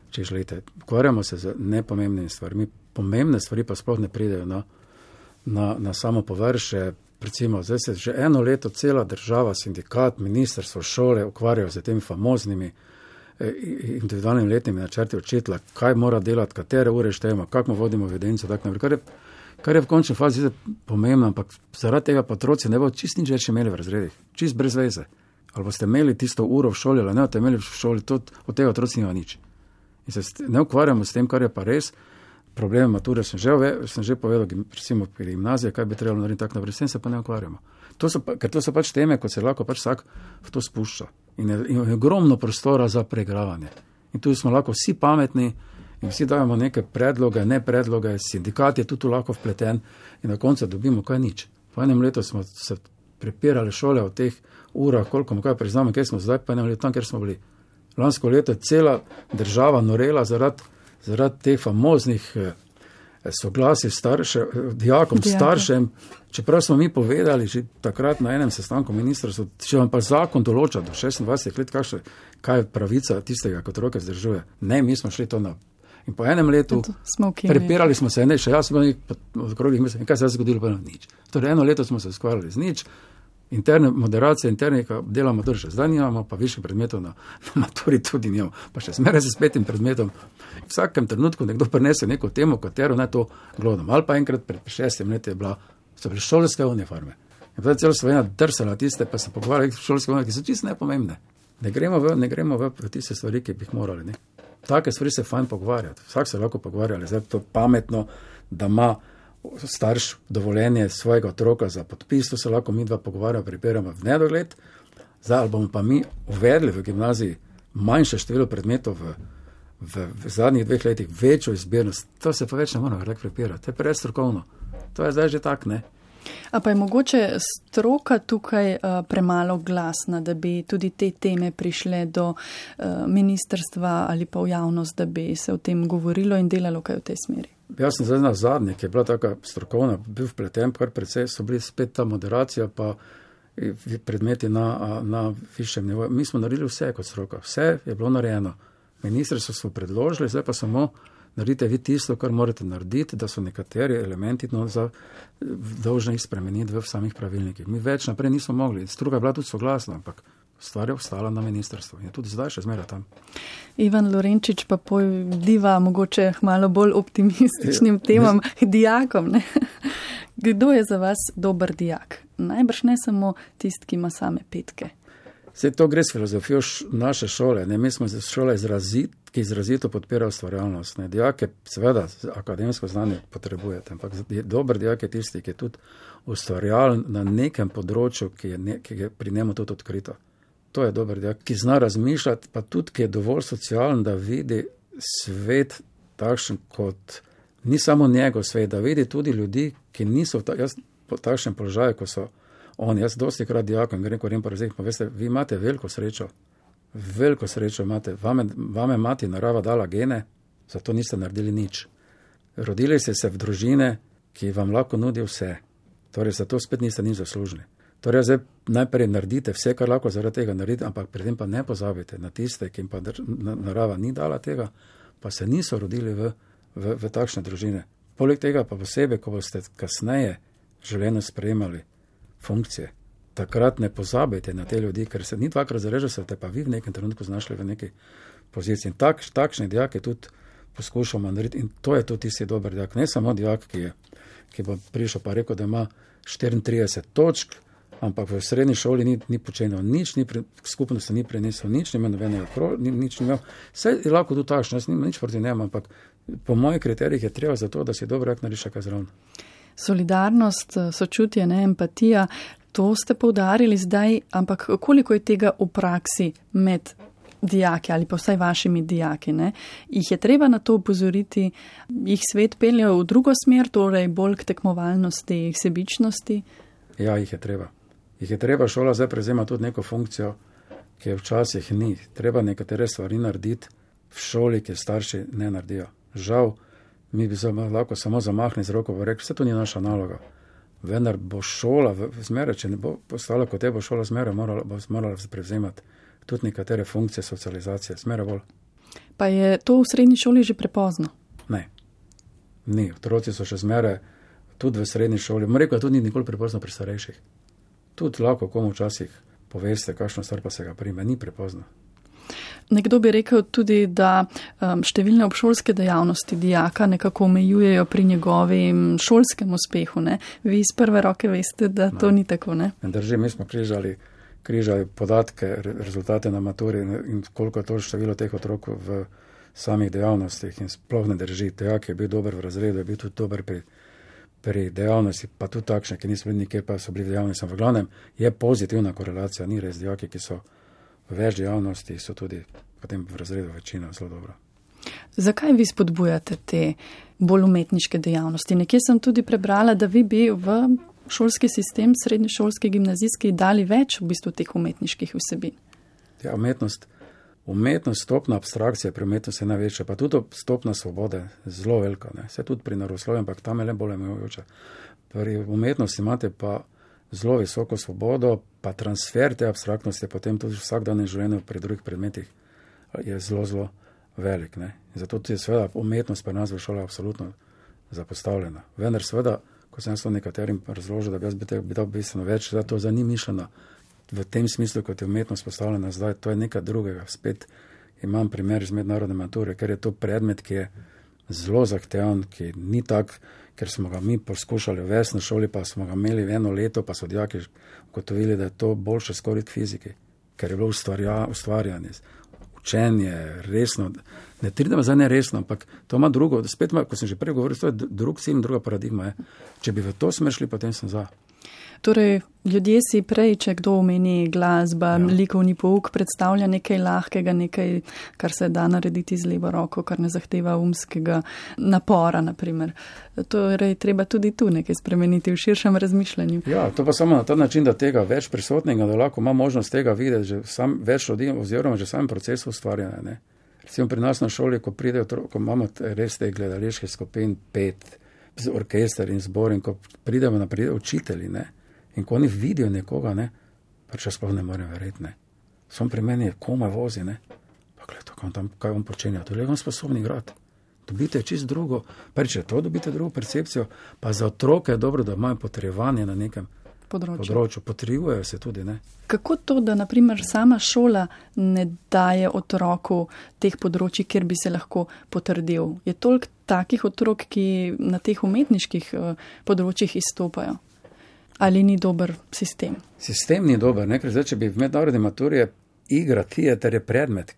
če želite. Ukvarjamo se z nepomembnimi stvarmi. Pomembne stvari pa sploh ne pridejo na samo površje. Recimo, zdaj se že eno leto cela država, sindikat, ministrstvo, šole ukvarjajo z temi famoznimi individualnimi letnimi načrti učitelja, kaj mora delati, katere ure štejemo, kako vodimo evidenco, tako naprej. Kar je v končni fazi pomembno, ampak zaradi tega pa otroci ne bo čist nič več imeli v razredih, čist brez veze. Ali boste imeli tisto uro v šoli, ali ne boste imeli v šoli, od tega otroci nima nič. In se ne ukvarjamo s tem, kar je pa res. Problem mature sem že povedal, recimo pri gimnaziji, kaj bi trebalo narediti tako naprej, s tem se pa ne ukvarjamo. Ker to so pač teme, ko se lahko pač vsak v to spušča. In je ogromno prostora za preigravanje. In tu smo lahko vsi pametni in vsi dajemo neke predloge, ne predloge, sindikat je tudi lahko vpleten in na koncu dobimo kaj nič. Po enem letu smo se prepirali šole v teh urah, koliko mu kaj priznamo, kje smo zdaj, pa enem letu tam, kjer smo bili. Lansko leto je cela država norela zaradi teh famoznih soglasij dijakom, staršem, čeprav smo mi povedali že takrat na enem sestanku ministrstva, če vam pa zakon določa do 26 let, kaj je pravica tistega, kot otroke vzdržuje. Ne, mi smo šli to na. In po enem letu prepirali smo se, še jaz sem bil od okrogih mesec, in kaj se je zgodilo, pa nič. Torej eno leto smo se skvarjali z nič, interne moderacije, internika delamo drže. Zdaj nimamo, pa višjih predmetov na maturi tudi nimamo. Pa še zmeraj se s 5 predmetom. V vsakem trenutku nekdo prinese neko temo, katero naj to glodam. Ali pa enkrat pred 6 leti so bile šolske uniforme. In potem celo Slovenija drsala tiste, pa se pogovarjali šolske uniforme, ki so čisto nepomembne. Ne gremo v tiste stvari, ki bi jih morali. Ne? Take stvari se fajn pogovarjati. Vsak se lahko pogovarja, zdaj to pametno, da ima starš dovoljenje svojega otroka za podpis, to se lahko mi dva pogovarjamo, pripiramo v nedogled. Zdaj, ali bomo pa mi uvedli v gimnaziji manjše število predmetov v zadnjih 2 letih, večjo izbirnost, to se pa več ne moramo tako pripirati. To je preveč strokovno. To je zdaj že tak, ne? A pa je mogoče stroka tukaj premalo glasna, da bi tudi te teme prišle do ministrstva ali pa v javnost, da bi se o tem govorilo in delalo kaj v tej smeri? Jaz sem zdaj na zadnje, ki je bila taka strokovna, bil vpleten, kar precej so bili spet ta moderacija, pa predmeti na višjem nivoju. Mi smo naredili vse kot stroka, vse je bilo narejeno. Ministrstvo smo predložili, zdaj pa samo naredite vi tisto, kar morate narediti, da so nekateri elementi dolžni jih spremeniti v samih pravilnikih. Mi več naprej nismo mogli. Stroka je bila tudi soglasna, ampak stvar je ostala na ministrstvu. In tudi zdaj še zmeraj tam. Ivan Lorenčič pa pojdiva mogoče malo bolj optimističnim temam, dijakom. Ne? Kdo je za vas dober dijak? Najbrž ne samo tisti, ki ima same petke. Vse to gre s filozofijo naše šole. Ne? Mi smo šole ki izrazito podpira ustvarjalnost. Ne? Dijake, seveda, akademsko znanje potrebujete, ampak dober dijak je tisti, ki je tudi ustvarjalen na nekem področju, ki je pri njemu tudi odkrito. To je dober dijak, ki zna razmišljati, pa tudi, ki je dovolj socialen, da vidi svet takšen, kot ni samo njegov svet, da vidi tudi ljudi, ki niso v takšnem položaju, ko so oni. Jaz dosti krat dijakom grem pa razredim, pa veste, vi imate veliko srečo imate, vame mati narava dala gene, zato niste naredili nič. Rodili ste se v družine, ki vam lahko nudi vse, torej zato spet niste nič zaslužili. Torej zdaj najprej naredite vse, kar lahko zaradi tega naredite, ampak pri tem pa ne pozabite na tiste, ki jim pa narava ni dala tega, pa se niso rodili v takšne družine. Poleg tega pa posebej, ko boste kasneje življenju sprejemali funkcije, takrat ne pozabite na te ljudi, ker se ni dvakrat zarežili, se te pa vi v nekem trenutku znašli v neki poziciji. In takšne dijake tudi poskušamo narediti. In to je tudi tisti dober dijak. Ne samo dijak, ki bo prišel pa rekel, da ima 34 točk, ampak v srednji šoli ni počenil nič, skupnosti ni prenesel nič, ni imel nobenega nič ni imel. Vse je lahko tudi takšno, jaz nimam nič proti njemu, ampak po mojih kriterijih je treba za to, da si dober dijak naredi še kaj zraven. Solidarnost, sočutje, empatija, to ste poudarili zdaj, ampak koliko je tega v praksi med dijaki ali pa vsaj vašimi dijaki, ne? Jih je treba na to upozoriti, jih svet pelje v drugo smer, torej bolj k tekmovalnosti, k sebičnosti? Ja, jih je treba. Jih je treba, šola zdaj prevzema tudi neko funkcijo, ki je včasih ni. Treba nekatere stvari narediti v šoli, ki starši ne naredijo. Žal, mi bi lahko samo zamahli z roko in rekli, vse to ni naša naloga. Vendar bo šola zmeraj, če ne bo postala kot te, bo šola zmeraj morala prevzemati tudi nekatere funkcije socializacije, zmeraj bolj. Pa je to v srednji šoli že prepozno? Ne. Ni. Otroci so še zmeraj tudi v srednji šoli. Rekel, tudi ni nikoli prepozno pri starejših. Tudi lahko komu včasih poveste, kakšno stvar pa se ga prime. Ni prepozno. Nekdo bi rekel tudi, da številne obšolske dejavnosti dijaka nekako omejujejo pri njegovim šolskem uspehu. Ne? Vi iz prve roke veste, da to ni tako, ne? Drži, mi smo križali podatke, rezultate na maturi in koliko je to število teh otrok v samih dejavnostih in sploh ne drži. Dijak je bil dober v razredu, je bil tudi dober pri dejavnosti, pa tudi takšne, ki niso bili nikjer, pa so bili v dejavnosti. V glavnem je pozitivna korelacija, ni res. Dijaki, ki so v več dejavnosti, so tudi potem v razredu večina zelo dobro. Zakaj vi spodbujate te bolj umetniške dejavnosti? Nekje sem tudi prebrala, da vi bi v šolski sistem, srednješolski, gimnazijski, dali več v bistvu teh umetniških vsebin. Ja, umetnost, stopna abstrakcije pri umetnosti je največja, pa tudi stopna svobode zelo velika. Se tudi pri naravoslovju, ampak tam je le bolj omejujoča. Pri umetnosti imate pa zelo visoko svobodo, pa transfer te abstraktnosti potem tudi v vsakdanjem življenju pri drugih predmetih je zelo, zelo velik. Ne? Zato je seveda umetnost pri nas v šoli absolutno zapostavljena. Vendar seveda, ko sem to nekaterim razložil, da bi dal bistveno več, da to za ni mišljeno v tem smislu, kot je umetnost postavljena zdaj, to je nekaj drugega. Spet imam primer iz mednarodne mature, ker je to predmet, ki je zelo zahteven, ki ni tak, ker smo ga mi poskušali uvesti na šoli, pa smo ga imeli 1 leto, pa so dijaki ugotovili, da je to boljše skoraj k fiziki, ker je bilo ustvarjanje, učenje, resno, ne tridemo zdaj neresno, ampak to ima drugo, spet ima, ko sem že prej govoril, to je drug cilj, druga paradigma. Če bi v to smer šli, potem sem za. Torej, ljudje si prej, če kdo omeni glasba, likovni pouk, predstavlja nekaj lahkega, nekaj, kar se da narediti z levo roko, kar ne zahteva umskega napora, naprimer. Torej, treba tudi tu nekaj spremeniti v širšem razmišljanju. Ja, to pa samo na ta način, da tega več prisotnega, da lahko ima možnost tega videti, že sam več ljudi, oziroma že sam proces ustvarjanja. Ne. Recimo pri nas na šoli, ko imamo res te gledališke skupin, 5, orkester in zbor, in ko pridemo naprej učitelji, ne, in ko oni vidijo nekoga, ne, pa če sploh ne morem verjeti, ne. Som pri meni komaj vozi, ne. Pa gledaj, kaj on počenja, to je on sposobni igrati. Dobite čist drugo, če to dobite drugo percepcijo, pa za otroke je dobro, da imajo potrebovanje na nekem področju. Potrebujejo se tudi, ne. Kako to, da naprimer sama šola ne daje otroku teh področji, kjer bi se lahko potrdil? Je toliko takih otrok, ki na teh umetniških področjih izstopajo? Ali ni dober sistem? Sistem ni dober, ne? Ker zdaj, če bi v mednarodni maturi igra, teater je predmet,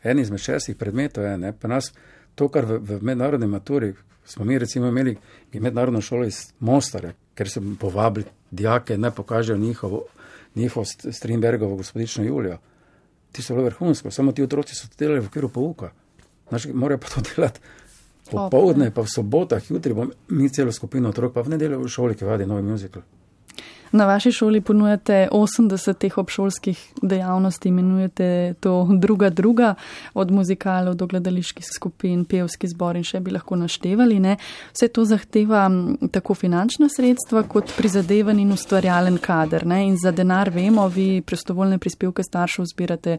en izmed 6 predmetov je, ne? Pa nas to, kar v mednarodni maturi, smo mi recimo imeli mednarodno šolo iz Mostarja, ker so povabili dijake, naj pokažejo njihovo Strindbergovo Gospodično Julijo. Ti so bilo vrhunsko, samo ti otroci so to delali v okviru pouka. Morajo pa to delati popoldne, pa v sobotah, jutri bom mi celo skupino otrok, pa v nedeljo v šoli, ki vadi novi musical. Na vaši šoli ponujate 80 teh obšolskih dejavnosti, imenujete to druga, od muzikalov do gledaliških skupin, pevski zbor in še bi lahko naštevali. Ne? Vse to zahteva tako finančna sredstva kot prizadevan in ustvarjalen kader. Ne? In za denar vemo, vi prostovoljne prispevke staršev zbirate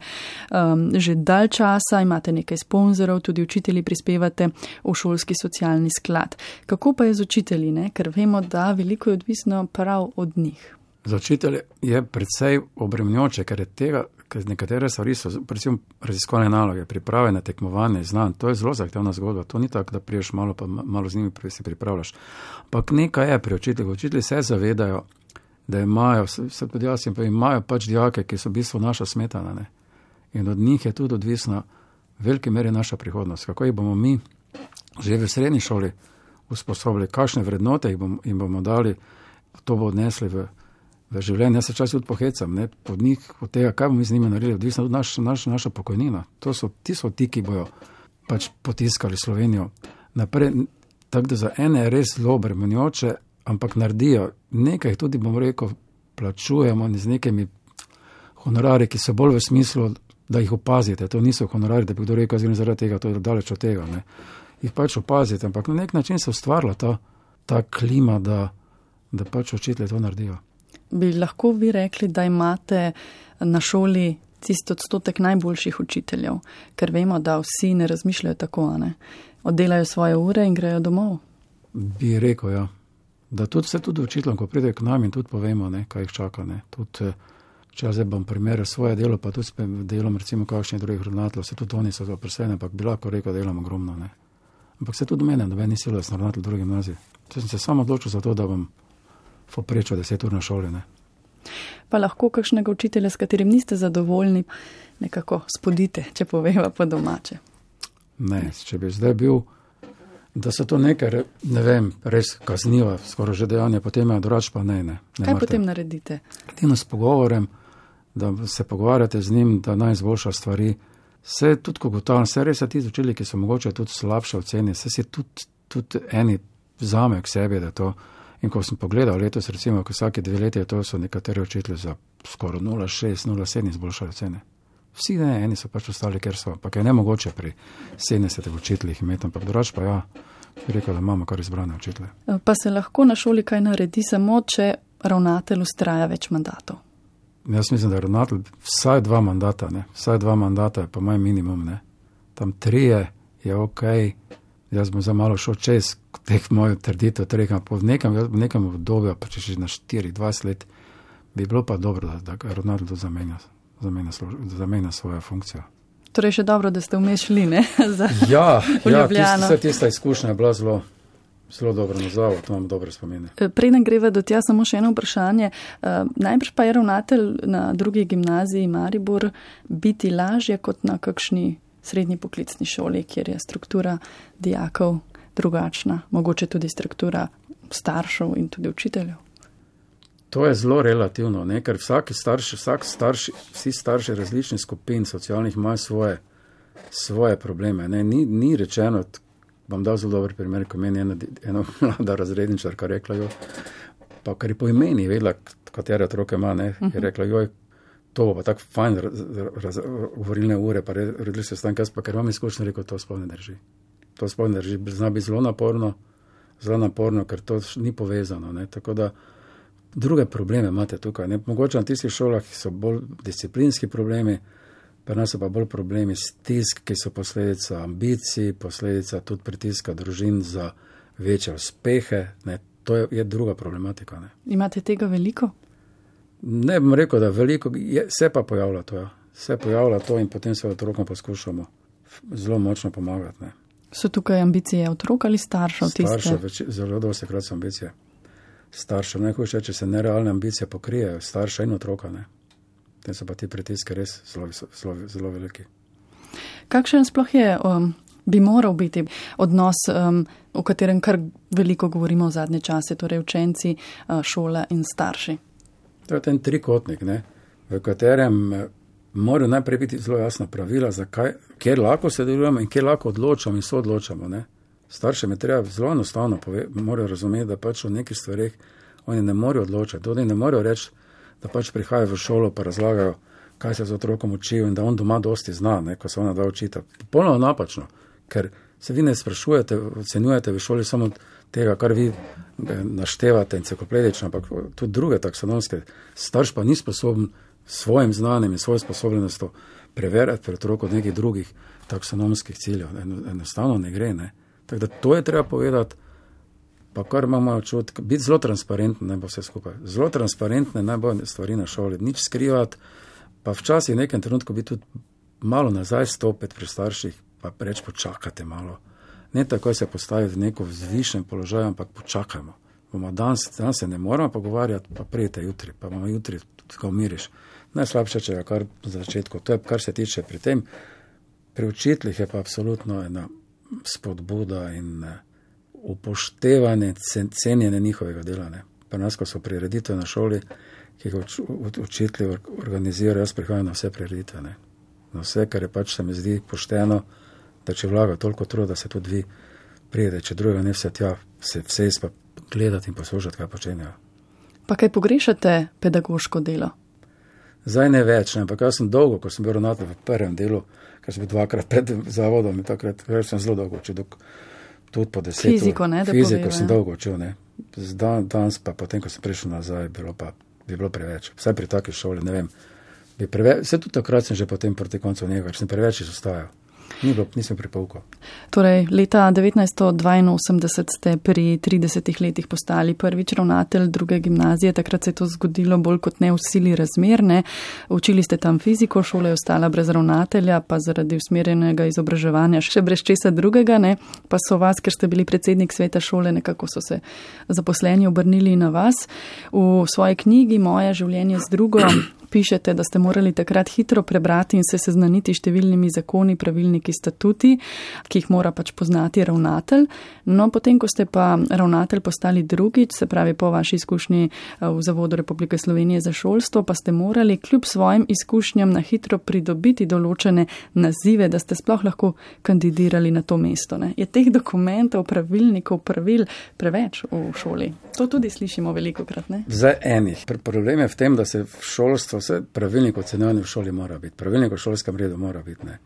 že dalj časa, imate nekaj sponzorov, tudi učitelji prispevate v šolski socialni sklad. Kako pa je z učitelji, ne? Ker vemo, da veliko je odvisno prav od njih. Za učitelje je predvsej obremenjujoče, ker nekatere stvari so, predvsem raziskovalne naloge, priprave na tekmovanje, znanj, to je zelo zahtevna zgodba, to ni tako, da priješ malo, pa malo z njimi se pripravljaš. Ampak nekaj je pri učiteljih, učitelji se zavedajo, da imajo pač dijake, ki so v bistvu naša smetana, ne? In od njih je tudi odvisna v veliki meri naša prihodnost. Kako jih bomo mi že v srednji šoli usposobili, kakšne vrednote jim bomo dali, to bo odnesli v v življenju. Jaz se čas tudi pohecam, ne, pod njih, od tega, kaj bomo mi z njimi naredili, odvisno od naša pokojnina. Ti so ti, ki bojo pač potiskali Slovenijo naprej. Tako da za ene je res zelo obremenjujoče, ampak naredijo nekaj, tudi bom rekel, plačujemo z nekimi honorari, ki so bolj v smislu, da jih opazite. To niso honorari, da bi kdo rekel, zaradi tega, to je daleč od tega. Ne. Jih pač opazite, ampak na nek način se ustvarila ta klima, da pač učitelji to naredijo. Bi lahko vi rekli, da imate na šoli tisti odstotek najboljših učiteljev, ker vemo, da vsi ne razmišljajo tako, ne? Oddelajo svoje ure in grejo domov? Bi rekel, ja. Da tudi učiteljem, ko pridejo k nam in tudi povemo, ne, kaj jih čaka. Ne. Tudi, če jaz bom primerjal svoje delo, pa tudi s delom recimo kakšnih drugih ravnateljev, se tudi oni so zaposleni, ampak bi lahko rekel, da delam ogromno. Ne. Ampak se tudi mene, noben ni silo, da sem ravnatelj druge gimnazije. Sem se samo odločil za to, da bom poprečal 10 ur na šoli. Ne. Pa lahko kakšnega učitelja, s katerim niste zadovoljni, nekako spodite, če poveva po domače. Ne, če bi zdaj bil, da so to nekaj, ne vem, res kazniva, skoraj že dejanje, potem je drugače pa ne. Kaj potem naredite? Edino s pogovorem, da se pogovarjate z njim, da naj izboljša stvari. Se tudi, ko gotovim, se res je ti učili, ki so mogoče tudi slabše oceni, se si tudi eni vzamejo k sebi, da to. In ko sem pogledal letos, recimo, ko vsake 2 leti, to so nekateri učitelji za skoraj 0,6, 0,7 izboljšali ocene. Vsi ne, eni so pač ostali, ker so, ampak je nemogoče pri 70 učiteljih imeti, ampak drugače pa ja, bi rekel, da imamo kar izbrane učitelje. Pa se lahko na šoli kaj naredi samo, če ravnatelj ustraja več mandatov? Jaz mislim, da je ravnatelj vsaj 2 mandata, ne, vsaj 2 mandata je pa moj minimum, ne. Tam 3 je okej. Jaz bom za malo šel čez teh mojih trditev, po nekem obdobju, pa če še na 4-20 let, bi bilo pa dobro, da ravnatelj to zamenja svojo funkcijo. Torej še dobro, da ste vmes šli, ne? Ja, tista izkušnja je bila zelo dobro nazval, to imam dobre spomine. Preden greva do tja, samo še eno vprašanje. Najbrž pa je ravnatelj na drugi gimnaziji Maribor biti lažje kot na kakšni srednji poklicni šoli, kjer je struktura dijakov drugačna, mogoče tudi struktura staršev in tudi učiteljev. To je zelo relativno, ne? Ker vsi starši različnih skupin socialnih imajo svoje probleme. Ne? Ni rečeno, bom dal zelo dober primer, ko meni ena mlada razredničarka rekla, pa kar je po imeni vedela, katere otroke ima, ne? Je rekla, to bo pa tako fajn govorilne ure, pa redili se stan, pa ker imam izkušnje, rekel, to sploh ne drži. To sploh ne drži, zna biti zelo naporno, ker to ni povezano. Ne? Tako da druge probleme imate tukaj. Ne? Mogoče na tistih šolah so bolj disciplinski problemi, pa nas so pa bolj problemi stisk, ki so posledica ambicij, posledica tudi pritiska družin za večje uspehe. Ne? To je druga problematika. Ne? Imate tega veliko? Ne bom rekel, da veliko, se pa pojavlja to. Ja. Se pojavlja to in potem se otrokom poskušamo zelo močno pomagati. Ne. So tukaj ambicije otrok ali staršev? Staršev, zelo dosti krat so ambicije. Staršev, najhujše, če se nerealne ambicije pokrijejo, starša in otroka. Ne. Tem so pa ti pritiske res zelo veliki. Kakšen sploh je, bi moral biti odnos, o katerem kar veliko govorimo v zadnje čase, torej učenci, šola in starši? To je ten trikotnik, ne, v katerem morajo najprej biti zelo jasna pravila, kjer lahko se delujemo in kjer lahko odločamo in soodločamo. Ne. Staršem je treba zelo enostavno morajo razumeti, da pač v nekih stvareh oni ne morejo odločati. Oni ne morejo reči, da pač prihajajo v šolo pa razlagajo, kaj se z otrokom učijo in da on doma dosti zna, ne, ko se ona da učita. Popolnoma napačno, ker se vi ne sprašujete, ocenjujete v šoli samo tega, kar vi naštevate enciklopedično, ampak tudi druge taksonomske. Starš pa ni sposoben svojim znanjem in svojo sposobnostjo preverjati pred otrok od nekih drugih taksonomskih ciljev. Enostavno ne gre. Ne. Tako da to je treba povedati, pa kar imamo čut, biti zelo transparentni, naj bo vse skupaj. Zelo transparentne naj bo stvari na šoli, nič skrivati, pa včasih v nekem trenutku biti tudi malo nazaj stopiti pri starših, pa reči počakajte malo. Ne tako se postaviti v neko vzvišen položaj, ampak počakajmo. Danes se ne moramo pogovarjati, pa prijete jutri, pa bomo jutri tako umiriš. Najslabše, če je kar v začetku. To je, kar se tiče pri tem. Pri učiteljih je pa absolutno ena spodbuda in upoštevanje, cenjenje njihovega dela. Ne. Pri nas, ko so prireditve na šoli, ki ga učitelji organizirajo, jaz prihajam na vse prireditve, ne. Na vse, kar je pač se mi zdi pošteno, da če vlaga toliko truda, da se tudi vi prijede, če drugega ne vse tja, vse pa gledati in poslušati, kaj počenjajo. Pa kaj pogrešate pedagoško delo? Zdaj ne več, ne, ampak jaz sem dolgo, ko sem bil ravnatelj v prvem delu, ker sem bil 2-krat pred zavodom in takrat sem zelo dolgo učil, tudi po 10. Fiziko, ne, da Fiziko poveva, sem dolgo učil, ne. Danes pa potem, ko sem prišel nazaj, bi bilo preveč. Vsaj pri taki šoli, ne vem, vse tudi takrat sem že potem proti koncu njega, ker sem preveč izostajal. Nisem pripoukal. Torej, leta 1982 ste pri 30 letih postali prvič ravnatelj druge gimnazije, takrat se je to zgodilo bolj kot ne v sili razmerne. Učili ste tam fiziko, šola je ostala brez ravnatelja, pa zaradi usmerjenega izobraževanja še brez česa drugega, ne? Pa so vas, ker ste bili predsednik sveta šole, nekako so se zaposleni obrnili na vas. V svoji knjigi Moje življenje z drugo pišete, da ste morali takrat hitro prebrati in se seznaniti številnimi zakoni, pravilniki, statuti, ki jih mora pač poznati ravnatelj. No, potem, ko ste pa ravnatelj postali drugič, se pravi po vaši izkušnji v Zavodu Republike Slovenije za šolstvo, pa ste morali kljub svojim izkušnjam na hitro pridobiti določene nazive, da ste sploh lahko kandidirali na to mesto. Ne? Je teh dokumentov, pravilnikov, pravil preveč v šoli? To tudi slišimo velikokrat, ne? Zdaj enih. Problem je v tem, da se v šolstvo vse pravilnik ocenjevanja v šoli mora biti, pravilnik o šolskem redu mora biti, ne.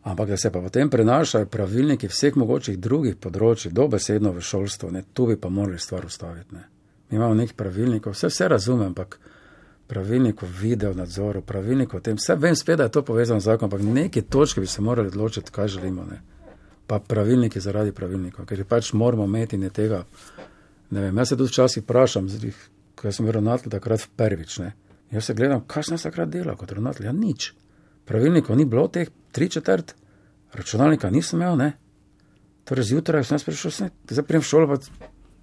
Ampak da se pa potem prenašajo pravilniki vseh mogočih drugih področij, dobesedno v šolstvo, ne, tu bi pa morali stvar ustaviti, ne. Mi imamo nekih pravilnikov, vse razumem, ampak pravilnik o video nadzoru, pravilnik o tem, vse vem spet, da je to povezano z zakonom, ampak neke točke bi se morali odločiti, kaj želimo, ne. Pa pravilniki zaradi pravilnikov, ker pač moramo imeti ne tega, ne vem, jaz se tudi včasih vprašam, ko sem bil ravnatelj takrat prvič, ne. Jaz se gledam, kaj sem takrat delal kot ravnatelj? Ja, nič. Pravilnikov ni bilo teh 3/4, računalnika nisem imel, ne. Torej zjutraj sem jaz prišel, zdaj prijem v šolo, pa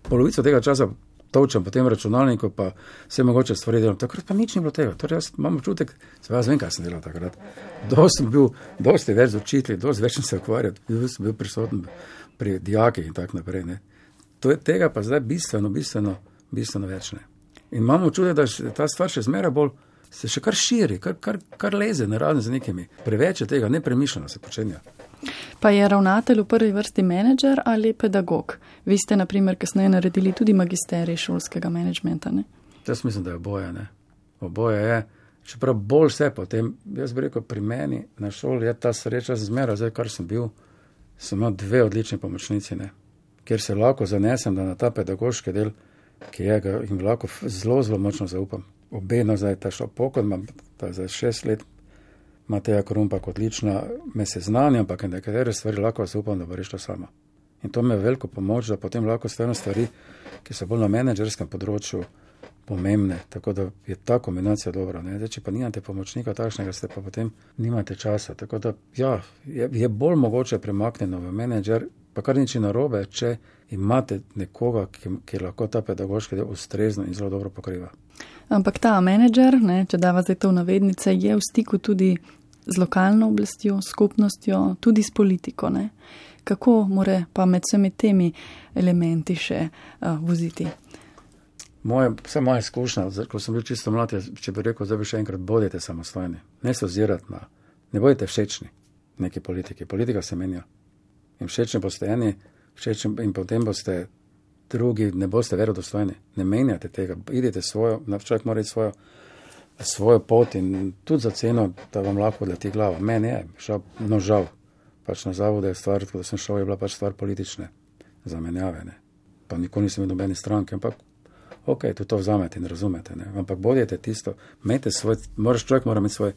polovico tega časa točem po tem računalniku, pa vse mogoče stvari delam. Takrat pa nič ni bilo tega. Torej jaz imam občutek, jaz vem, kaj sem delal takrat. Dosti več z učitelji, dosti več sem se ukvarjal, bil prisoten pri dijakih in tak naprej, ne. To je tega pa zdaj bistveno več, ne. In imamo občutek, da ta stvar še zmeraj bolj se še kar širi, kar leze naravno z nekimi. Preveč je tega, nepremišljeno se počenja. Pa je ravnatelj v prvi vrsti menedžer ali pedagog? Vi ste, na primer, kasneje naredili tudi magisterij šolskega menedžmenta, ne? Jaz mislim, da je oboje, ne. Oboje je, čeprav bolj vse potem, jaz bi rekel, pri meni na šoli je ta sreča zmeraj, zdaj kar sem bil, sem imel 2 odlični pomočnici, ne. Kjer se lahko zanesem, da na ta pedagoški del, ki je ga in lahko zelo močno zaupam. Obedno zdaj ta šel pokon, imam za 6 let, Mateja Korumpak odlična, me seznanja, ampak nekatere stvari lahko zaupam, da bo rešila sama. In to me je veliko pomoč, da potem lahko stavim stvari, ki so bolj na menedžerskem področju pomembne, tako da je ta kombinacija dobra, ne. Zdaj, če pa nimate pomočnika takšnega, ste pa potem nimate časa, tako da ja, je bolj mogoče premaknjeno v menedžer, pa kar nič narobe, če imate nekoga, ki lahko ta pedagoški del ustrezno in zelo dobro pokriva. Ampak ta menedžer, ne, če dava zdaj to v navednice, je v stiku tudi z lokalno oblastjo, skupnostjo, tudi s politiko, ne. Kako more pa med vsemi temi elementi še voziti? Vse moja izkušnja, ko sem bil čisto mlad, če bi rekel, zdaj bi še enkrat, bodite samostojni. Ne se ozirati ne bodite všečni neki politiki. Politika se menja. In všečni boste eni, in potem boste drugi, ne boste verodostojni. Ne menjate tega, idite svojo, človek mora iti svojo pot in tudi za ceno, da vam lahko leti glava. Meni je, žal, pač na zavodu je stvar, ko sem šel, je bila pač stvar politične zamenjave, ne. Pa nikoli nisem imel nobene stranke, ampak ok, tudi to vzamete in razumete, ne. Ampak bodite tisto, človek mora imeti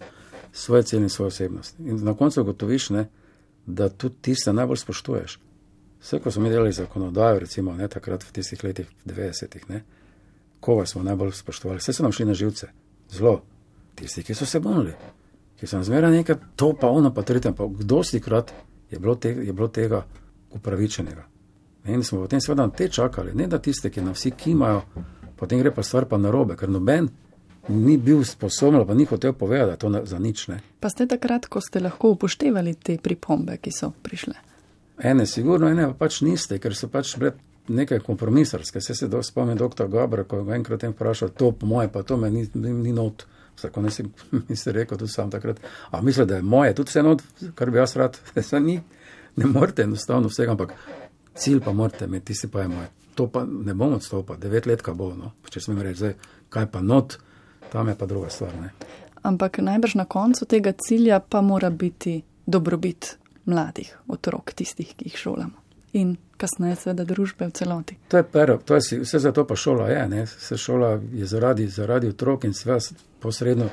svoje cilje in svojo osebnost. In na koncu ugotoviš, ne, da tudi tiste najbolj spoštuješ. Vse, ko smo mi delali zakonodajo, recimo, ne, takrat v tistih letih 90-ih, ne, koga smo najbolj spoštovali, vse so nam šli na živce, zelo. Tisti, ki so se bunili, ki so nam zmeraj nekaj, to pa ono pa tretje, pa dostikrat je bilo tega upravičenega. In smo potem seveda na te čakali, ne da tiste, ki na vsi kimajo, potem gre pa stvar pa narobe, ker noben ni bil sposoben, pa ni hotel povedati, da to za nič, ne. Pa ste takrat, ko ste lahko upoštevali te pripombe, ki so prišle? Ene sigurno, ene pa pač niste, ker so pač bile nekaj kompromisarske. Se spomnim dr. Gabra, ko ga enkrat vprašal, to po moje, pa to me ni not. Vsako nisi rekel, tudi sam takrat. A misli, da je moje, tudi vse not, kar bi jaz rad. Ne morete enostavno vsega, ampak cilj pa morate imeti, tisti pa je moje. To pa ne bom odstopil, 9 let, kaj bo, no. Če smem reči, zdaj, kaj pa not, tam je pa druga stvar, ne. Ampak najbrž na koncu tega cilja pa mora biti dobrobit mladih otrok, tistih, ki jih šolamo. In kasneje seveda družbe v celoti. To je vse zato pa šola je, ne. Vse šola je zaradi otrok in sve posredno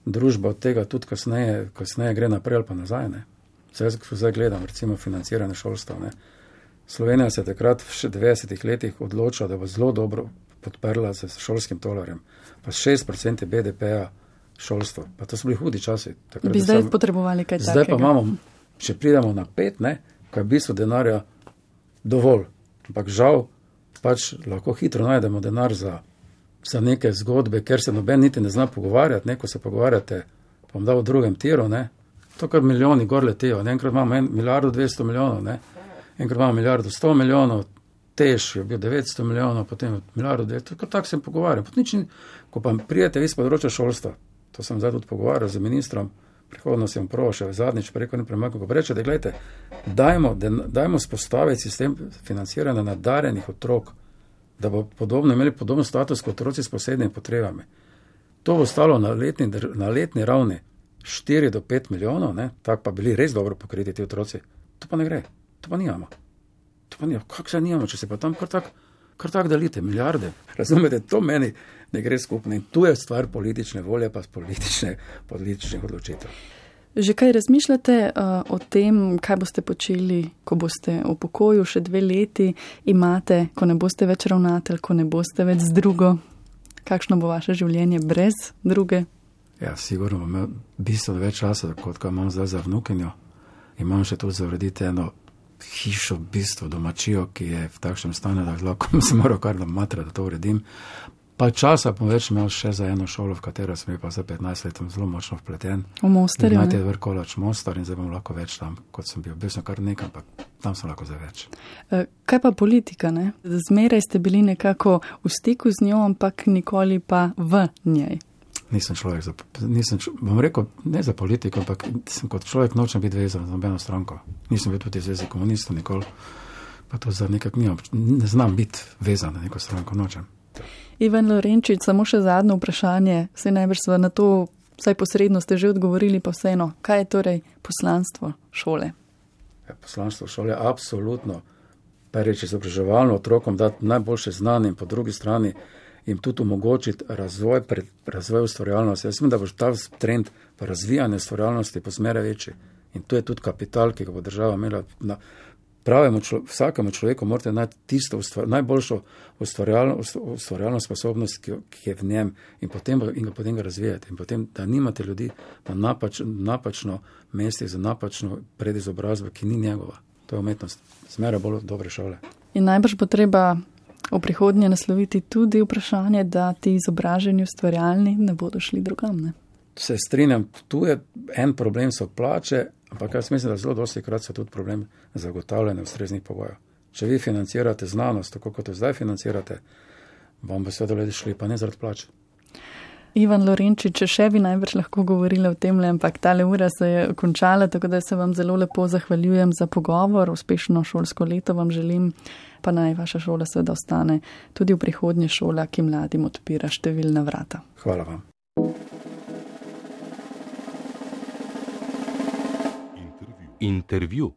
družba od tega tudi kasneje gre naprej ali pa nazaj, ne. Zdaj gledam, recimo, financiranje šolstva, ne. Slovenija se je takrat v 90 letih odločila, da bo zelo dobro podprla s šolskim tolarjem. Pa 6% BDP-ja šolstvo. Pa to so bili hudi časi. Bi zdaj potrebovali kaj takega. Zdaj pa imamo, če pridemo na 5, ne, ko je v bistvu denarja dovolj. Ampak žal, pač lahko hitro najdemo denar za neke zgodbe, ker se noben niti ne zna pogovarjati, ne, ko se pogovarjate, pa bom dal v drugem tiru, ne. To kar milijoni gor letijo. Enkrat imamo 1 milijardo 200 milijonov, ne. Enkrat imamo 1 milijardo 100 milijonov, Tež je bil 900 milijonov, potem milijardo 200, tako se pogovarjam. Ko pa prijete vi z področja šolstva, to sem zdaj tudi pogovarjal z ministrom, prihodno sem prav še zadnjič preko nepremakno, ko reče, da gledajte, dajmo spostaviti sistem financiranja nadarjenih otrok, da bo imeli podobno status kot otroci s posebnimi potrebami. To bo stalo na letni ravni 4 do 5 milijonov, ne, tako pa bili res dobro pokriti ti otroci. To pa ne gre, to pa nijamo. Kako se nijamo, če se pa tam kar tak delite, milijarde. Razumete, to meni ne gre skupno. In tu je stvar politične volje, pa političnih odločitev. Že kaj razmišljate o tem, kaj boste počeli, ko boste v pokoju še 2 leti, imate, ko ne boste več ravnatelj, ko ne boste več z drugo? Kakšno bo vaše življenje brez druge? Ja, sigurno bom imel bistveno več časa, kot ga imam zdaj za vnukinjo. Imam še tudi za urediti eno hišo, v bistvu domačijo, ki je v takšnem stanju, da lahko se moram kar namatra, da to uredim. Pa časa bom več imel še za eno šolo, v katero sem pa za 15 let zelo močno vpleten. V Mostarju, ne? Imate Vrkolač Mostar in zdaj bom lahko več tam, kot sem bil. Bil sem kar nekaj, ampak tam sem lahko za več. Kaj pa politika, ne? Zmeraj ste bili nekako v stiku z njo, ampak nikoli pa v njej. Nisem človek, bom rekel, ne za politiko, ampak sem kot človek nočem biti vezan za nobeno stranko. Nisem bil tudi zvezi komunistov nikoli, pa to za nekak ne znam biti vezan na neko stranko, nočem. Ivan Lorenčič, samo še zadnje vprašanje, se najbrž na to, vsaj posredno ste že odgovorili, pa vseeno, kaj je torej poslanstvo šole? Ja, poslanstvo šole je absolutno, prvič izobraževalno otrokom dati najboljše znanje in po drugi strani jim tudi omogočiti razvoj ustvarjalnosti. Jaz mislim, da bo ta trend v razvijanju ustvarjalnosti posmere večji. In to je tudi kapital, ki ga bo država imela. Vsakemu človeku morate najti tisto najboljšo ustvarjalno sposobnost, ki je v njem in potem ga razvijati. In potem, da nimate ljudi na napačno mesti za napačno predizobrazbo, ki ni njegova. To je umetnost. Zmeraj bolj dobre šole. In najbrž bo treba v prihodnje nasloviti tudi vprašanje, da ti izobraženi ustvarjalni ne bodo šli drugam, ne? Se strinjam, tu je en problem, so plače, ampak jaz mislim, da zelo dosti krat so tudi problem zagotavljanja ustreznih pogojev. Če vi financirate znanost, tako kot jo zdaj financirate, vam bo seveda ljudje šli, pa ne zaradi plače. Ivan Lorenčič, še bi najbrž lahko govorili o tem, ampak tale ura se je končala, tako da se vam zelo lepo zahvaljujem za pogovor, uspešno šolsko leto vam želim, pa naj vaša šola seveda ostane tudi v prihodnje šola, ki mladim odpira številna vrata. Hvala vam. Intervju.